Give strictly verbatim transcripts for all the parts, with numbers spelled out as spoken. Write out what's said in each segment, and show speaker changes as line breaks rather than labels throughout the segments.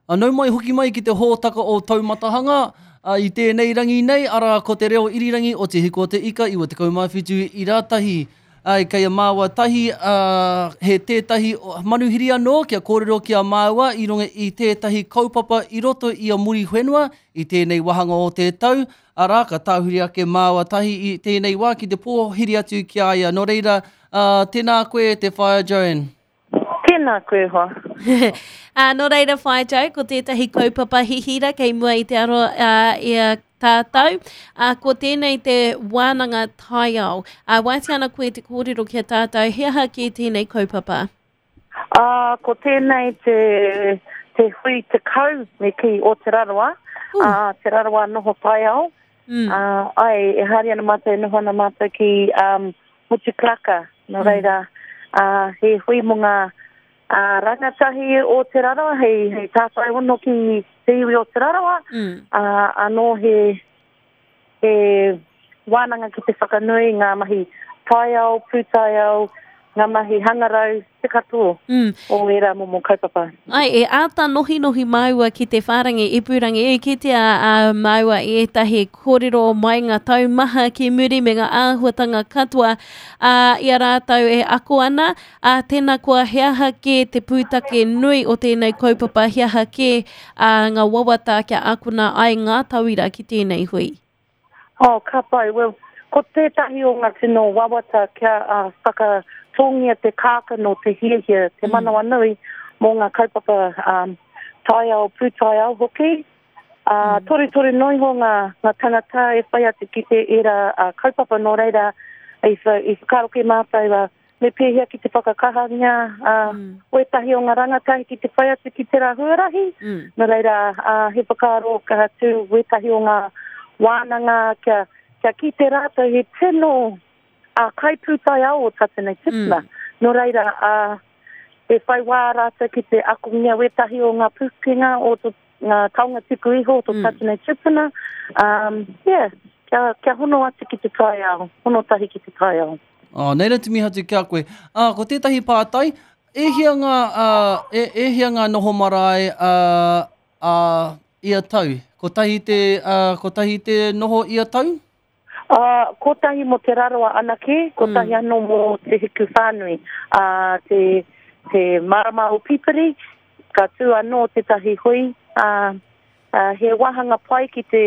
Nau mai hoki mai ki te hōtaka o Taumatahanga, uh, i tēnei rangi nei, arā ko te reo irirangi o Te Hiku o Te Ika iwa tekau mā whitu ira tahi. Ai, kei a māua tahi, uh, he tētahi manuhiri anō kia kōrero ki a māua i runga i tētahi kaupapa i roto i a Muriwhenua i tēnei wāhanga o te tau, arā, ka tāhuri ake māua tahi i tēnei wā ki te pōhiri atu ki a ia. Nō reira, uh, tēnā koe te Whaea Joanne.
Tēnā koe hoa.
Uh, nō reira, Whaea Jo, ko tētahi kaupapa hihira kei mua i te aro uh, i a tātou. Uh, ko tēnei te wānanga taiao. Uh, waiti ana koe te kōrero ki a tātou, he aha ki tēnei kaupapa?
Uh, ko tēnei te, te hui te kau me ki o Te Rarawa, uh, Te Rarawa noho taiao. Mm. Uh, ai, e haere ana mātou, e noho ana mātou ki um, Motukaraka. Nō reira, uh, he hui mō ngā uh, rangatahi o Te Rarawa, hei, hei tātai hono ki te iwi o Te Rarawa.
Mm.
Uh, anō he, he wānanga ki te whakanui ngā mahi taiao, pūtaiao, ngā mahi hangarau, te katoa
Mm.
o ērā momo kaupapa.
Ai, e āta nohinohi māua ki te whārangi ipurangi, e kitea a māua i ētahi kōrero mai ngā taumaha ki muri me ngā āhuatanga katoa a, i a rātou e ako ana. A, tēnā koa he aha kē te pūtake nui o tēnei kaupapa, he aha kē a, ngā wawata kia akona ai ngā tauira ki tēnei hui.
Oh, ka pai. Well, ko tētahi o ngā tino wawata kia uh, whakatōngia te kākano, te hiahia, te manawa nui mō ngā kaupapa um, taiao, pūtaiao hoki. Uh, toru toru noa iho ngā, ngā tangata e whai atu ki te era uh, kaupapa nō reira i, wha, i whakaaro ki mātou uh, me pēhea ki te whakakahangia uh,
Mm.
wētahi o ngā rangatahi ki te whai atu ki te rā huarahi.
Mm.
Nō reira, uh, he whakaaro ka tū wētahi o ngā wānanga kia, kia ki te rātou he tino uh, kaipūtaiao o tātou nei tipuna.
Mm.
Nō reira, uh, e whai wā rātou ki te akongia wētahi o ngā pūkenga o tō, ngā taonga tuku iho o tō
Mm.
tātou nei tipuna. Um, yeah, kia, kia hono atu ki te taiao, hono tahi ki te taiao.
Oh, nei rā te mihi atu ki a koe. Uh, ko tētahi pātai, e hia ngā, uh, e, e hia ngā noho marae uh, uh, ia tau? Kotahi te, uh, kotahi te noho ia tau?
Uh, kotahi mō Te Rarawa anake, kotahi
Mm.
anō mō Te Hiku Whānui. Uh, te, te marama o Pipiri, ka tū anō tētahi hui. Uh, uh, he wāhanga pai ki te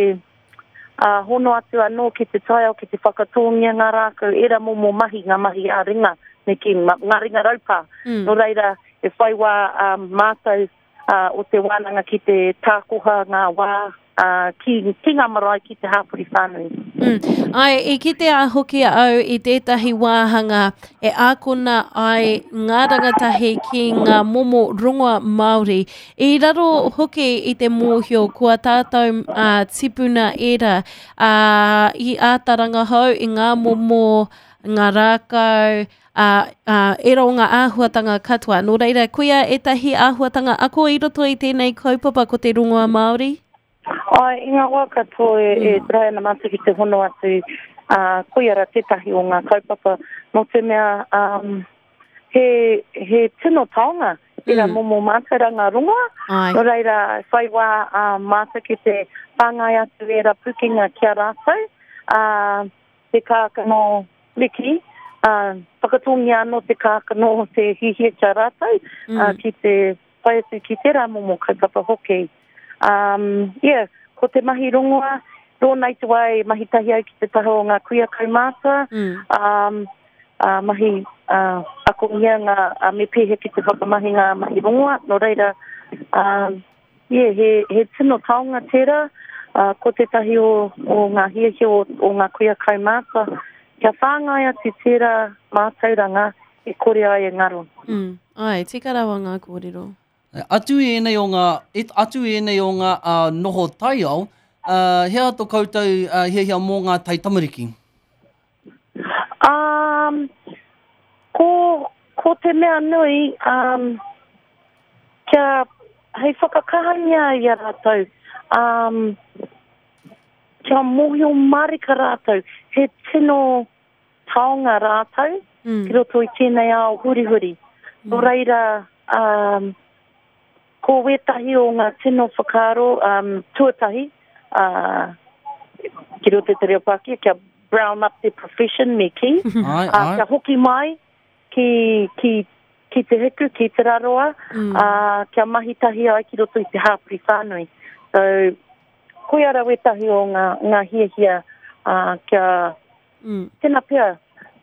uh, hono atu anō ki te taiao, ki te whakatōngia ngā rākau, era momo mahi, ngā mahi ā ringa, me ki ma, ngā ringa raupā.
Mm.
Nō reira, e whai wā um, mātou uh, o te wānanga ki te tākoha ngā wā uh, ki, ki ngā marae ki te hāpori whānui.
Mm. Ai, i kitea hoki au i tētahi wāhanga e ākona ai ngā rangatahi ki ngā momo rongoa Māori. I raro hoki i te mōhio kua tātou uh, tipuna ērā uh, i āta rangahau i ngā momo, ngā rākau, uh, uh, ērā o ngā āhuatanga katoa. Nō reira, koia ētahi āhuatanga ako i roto i tēnei kaupapa ko te rongoa Māori?
Ai, i ngā wā katoa e, e trai ana mātou ki te hono atu, uh, koia rā tētahi o ngā kaupapa, nō te mea um, he, he tino taonga, ērā
Mm.
momo mātauranga rongoa.
Ai.
Nō reira, whai wā uh, mātou ki te whāngai atu ērā pukenga ki a rātou, uh, te kākano riki, uh, whakatōngia anō te kākano te hihia ki a rātou,
Mm.
uh, ki te whai atu ki tērā momo kaupapa hoki. Um, yeah, ko te mahi rongoa, rōna i te wā e mahi tahi au ki te taha o ngā kuia kaumātua,
Mm.
um, uh, mahi uh, akongia ngā uh, me pēhea ki te whakamahi ngā mahi rongoa, nō reira, um, yeah, he, he tino taonga tērā, uh, ko tētahi o, o ngā hiahia o, o ngā kuia kaumātua, kia whāngai atu tērā mātauranga e kore ai e ngaro.
Mm. Ai, tika rawa ngā kōrero.
Atu i ēnei o ngā, et, atu i ēnei o ngā uh, noho taiao, uh, he aha tō koutou uh, hiahia mō ngā taitamariki?
Um, ko, ko te mea nui, um, kia hei whakakahangia i a rātou, um, kia mōhio marika rātou, he tino taonga rātou
Mm.
ki roto i tēnei ao hurihuri. Nō reira, um, Ko wētahi o ngā tino whakaaro um, tuatahi, uh, ki roto i te reo Pākehā, kia brown up the profession me kī.
Ai,
Uh,
ai.
kia hoki mai ki, ki, ki te hiku, ki te raroa, mm. uh, kia mahi tahi ai ki roto i te hāpori whānui. So, koia ra wētahi o ngā, ngā hiahia uh, kia
Mm.
tēnā pea,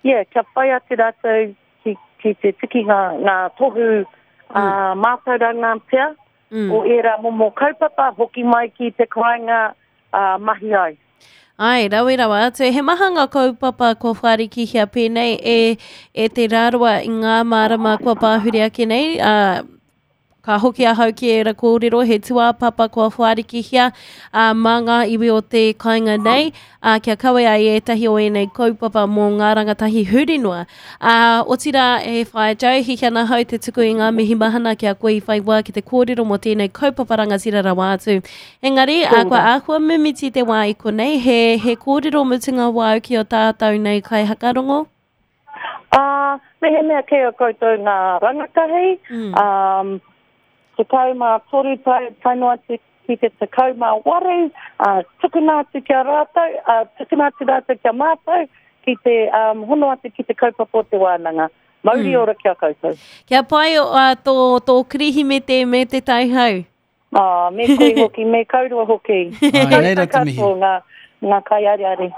yeah, kia whai atu rātou ki, ki te tiki ngā, ngā tohu uh, mātauranga pea
Mm.
o ērā momo kaupapa, hoki mai ki te kāinga uh, mahi ai.
Ai, rawe rawa atu. He maha ngā kaupapa kua whārikihia pēnei e, e te rāroa i ngā marama kua pāhuri ake nei. Uh, ka hoki ahau ki ērā kōrero, he tūāpapa kua whārikihia uh, mā ngā iwi o te kāinga nei, uh, kia kawe ai ētahi o ēnei kaupapa mō ngā rangatahi huri noa. Uh, otirā, e whaea Joe, hihi ana hau te tuku i ngā mihi mahana kia koe i whai wā ki te kōrero mō tēnei kaupapa rangatira rawa atu. Engari, uh, kua āhua mimiti te wā i konei, he, he kōrero mutunga wāu ki o tātou nei kaihakarongo?
Uh, mehemea kei a koutou ngā rangatahi,
Mm.
um, tekau mā toru tae, tae noa atu ki te tekau mā waru, uh, tukuna atu kia rātou, uh, tukuna atu rātou kia mātou, ki te um, hono atu ki te kaupapa o te wānanga. Mauri mm. ora kia koutou.
Kia pai uh, tō, tō Kirihimete me te taihau.
Ah, me koe hoki, me kaurua hoki.
Ai, nei rā te mihi.
Koutou katoa ngā, ngā kaiariari.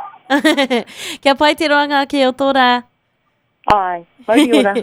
Kia pai te roanga ake o tō rā.
Ai, mauri ora.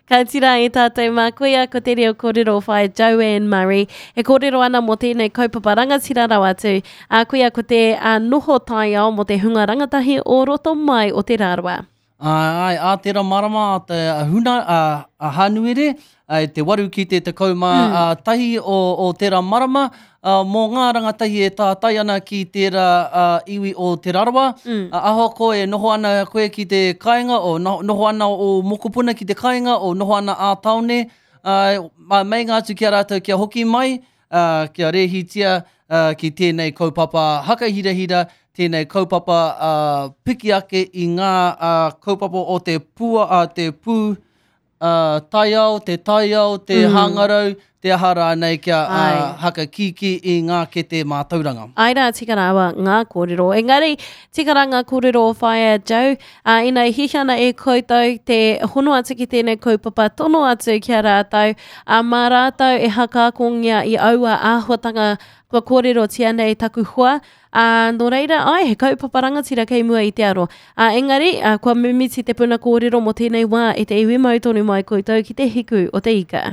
Ka tira e tātou mā koia ko te reo kōrero whai Joanne Murray. E kōrero ana mō tēnei kaupapa rangatira rawa atu. A koia ko te a, noho taiao mō te hunga rangatahi o roto mai o te rāroa.
Ai, ai, a tērā marama a te huna, a, a Hānuere, ai, te waru ki te tekau mā mm. a, tahi o, o tērā marama, a, mō ngā rangatahi e tātai ana ki tērā a, iwi o Te Rarawa. Mm. A, ahako e noho ana koe ki te kāinga, o no, noho ana o mokopuna ki te kāinga, o noho ana ā taone, a, ma meinga atu ki a rātou kia hoki mai, a, kia rēhitia a, ki tēnei kaupapa hakahirahira, tēnei kaupapa uh, piki ake i ngā uh, kaupapa o te pua, uh, te pū uh, taiao, te taiao, te mm. hangarau, te aha rānei kia uh, hakakīkī i ngā kete mātauranga.
Ai rā, tika rawa ngā kōrero. Engari, tika rā ngā kōrero o Whaea Joe, uh, ina e hiahia ana e koutou te hono atu ki tēnei kaupapa, tono atu ki a rātou, uh, mā rātou e hakaakongia i aua āhuatanga kua kōrerotia nei taku hoa, uh, nō reira, ai, he kaupapa rangatira kei mua i te aro. Uh, engari, uh, kua mimiti te puna kōrero mō tēnei wā e te iwi mau tonu mai koutou ki te hiku o te ika.